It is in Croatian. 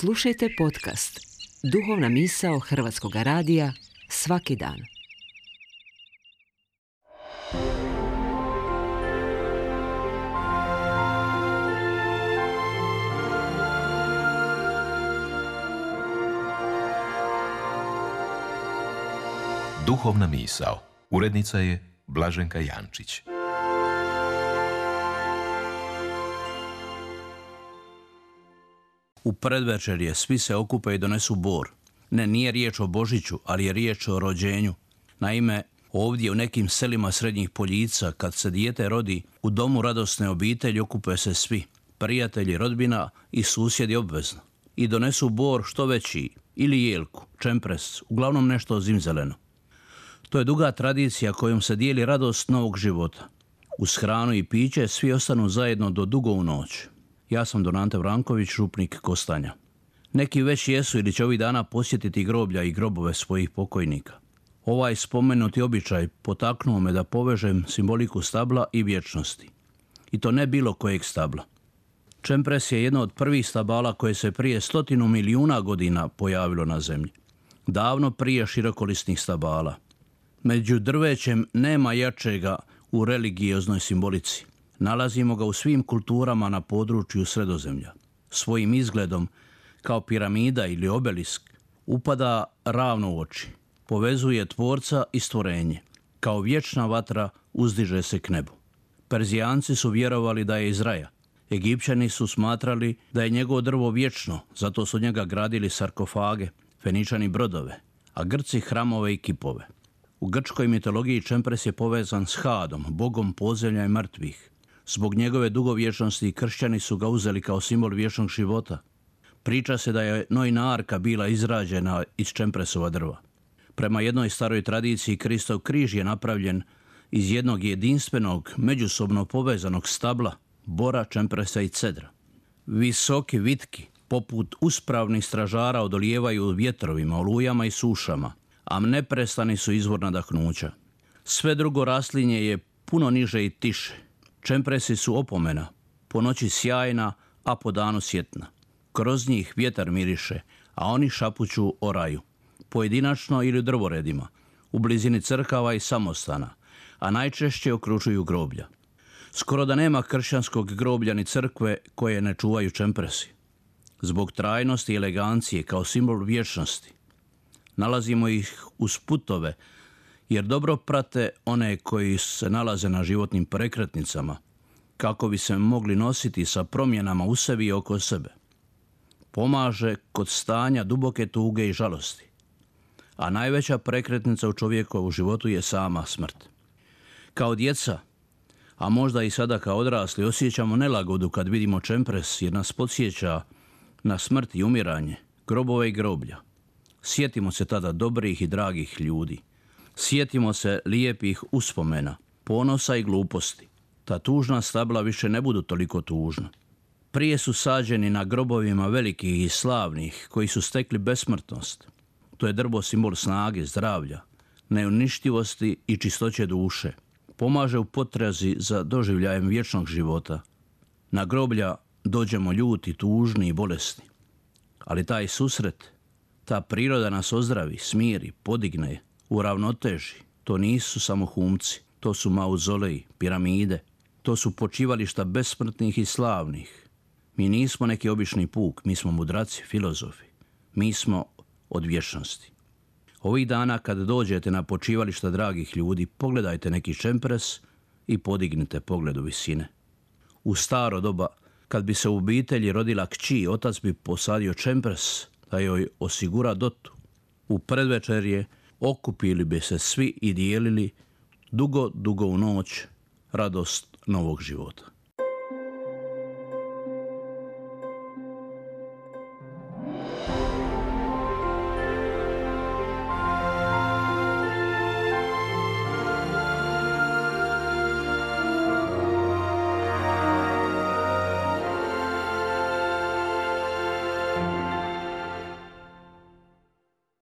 Slušajte podcast Duhovna misao Hrvatskog radija svaki dan. Duhovna misao. Urednica je Blaženka Jančić. U predvečerje svi se okupe i donesu bor. Ne, nije riječ o Božiću, ali je riječ o rođenju. Naime, ovdje u nekim selima Srednjih Poljica, kad se dijete rodi, u domu radosne obitelji okupe se svi, prijatelji, rodbina i susjedi obvezno. I donesu bor što veći, ili jelku, čempres, uglavnom nešto zimzeleno. To je duga tradicija kojom se dijeli radost novog života. Uz hranu i piće svi ostanu zajedno do dugo u noć. Ja sam Don Ante Vranković, župnik Kostanja. Neki već jesu ili će ovih dana posjetiti groblja i grobove svojih pokojnika. Ovaj spomenuti običaj potaknuo me da povežem simboliku stabla i vječnosti. I to ne bilo kojeg stabla. Čempres je jedno od prvih stabala koje se prije 100 milijuna godina pojavilo na zemlji. Davno prije širokolisnih stabala. Među drvećem nema jačega u religioznoj simbolici. Nalazimo ga u svim kulturama na području Sredozemlja. Svojim izgledom, kao piramida ili obelisk, upada ravno u oči. Povezuje tvorca i stvorenje. Kao vječna vatra uzdiže se k nebu. Perzijanci su vjerovali da je iz raja. Egipćani su smatrali da je njegovo drvo vječno, zato su od njega gradili sarkofage, Feničani brodove, a Grci hramove i kipove. U grčkoj mitologiji čempres je povezan s Hadom, bogom podzemlja i mrtvih. Zbog njegove dugovječnosti kršćani su ga uzeli kao simbol vječnog života. Priča se da je Noina arka bila izrađena iz čempresova drva. Prema jednoj staroj tradiciji Kristov križ je napravljen iz jednog jedinstvenog, međusobno povezanog stabla, bora, čempresa i cedra. Visoki, vitki, poput uspravnih stražara odolijevaju vjetrovima, olujama i sušama, a neprestani su izvor nadahnuća. Sve drugo raslinje je puno niže i tiše. Čempresi su opomena, po noći sjajna, a po danu sjetna. Kroz njih vjetar miriše, a oni šapuću o raju. Pojedinačno ili u drvoredima, u blizini crkava i samostana, a najčešće okružuju groblja. Skoro da nema kršćanskog groblja ni crkve koje ne čuvaju čempresi. Zbog trajnosti i elegancije kao simbol vječnosti. Nalazimo ih uz putove, jer dobro prate one koji se nalaze na životnim prekretnicama, kako bi se mogli nositi sa promjenama u sebi i oko sebe. Pomaže kod stanja duboke tuge i žalosti. A najveća prekretnica u čovjekovu životu je sama smrt. Kao djeca, a možda i sada kao odrasli, osjećamo nelagodu kad vidimo čempres jer nas podsjeća na smrt i umiranje, grobove i groblja. Sjetimo se tada dobrih i dragih ljudi. Sjetimo se lijepih uspomena, ponosa i gluposti. Ta tužna stabla više ne budu toliko tužna. Prije su sađeni na grobovima velikih i slavnih koji su stekli besmrtnost. To je drvo simbol snage, zdravlja, neuništivosti i čistoće duše. Pomaže u potrazi za doživljajem vječnog života. Na groblja dođemo ljuti, tužni i bolesni. Ali taj susret, ta priroda nas ozdravi, smiri, podigne, uravnoteži. To nisu samo humci, to su mauzoleji, piramide. To su počivališta besmrtnih i slavnih. Mi nismo neki obični puk, mi smo mudraci, filozofi. Mi smo od vječnosti. Ovih dana kad dođete na počivališta dragih ljudi, pogledajte neki čempres i podignite pogled u visine. U staro doba, kad bi se u obitelji rodila kći, otac bi posadio čempres da joj osigura dotu. U predvečerje okupili bi se svi i dijelili dugo u noć radost novog života.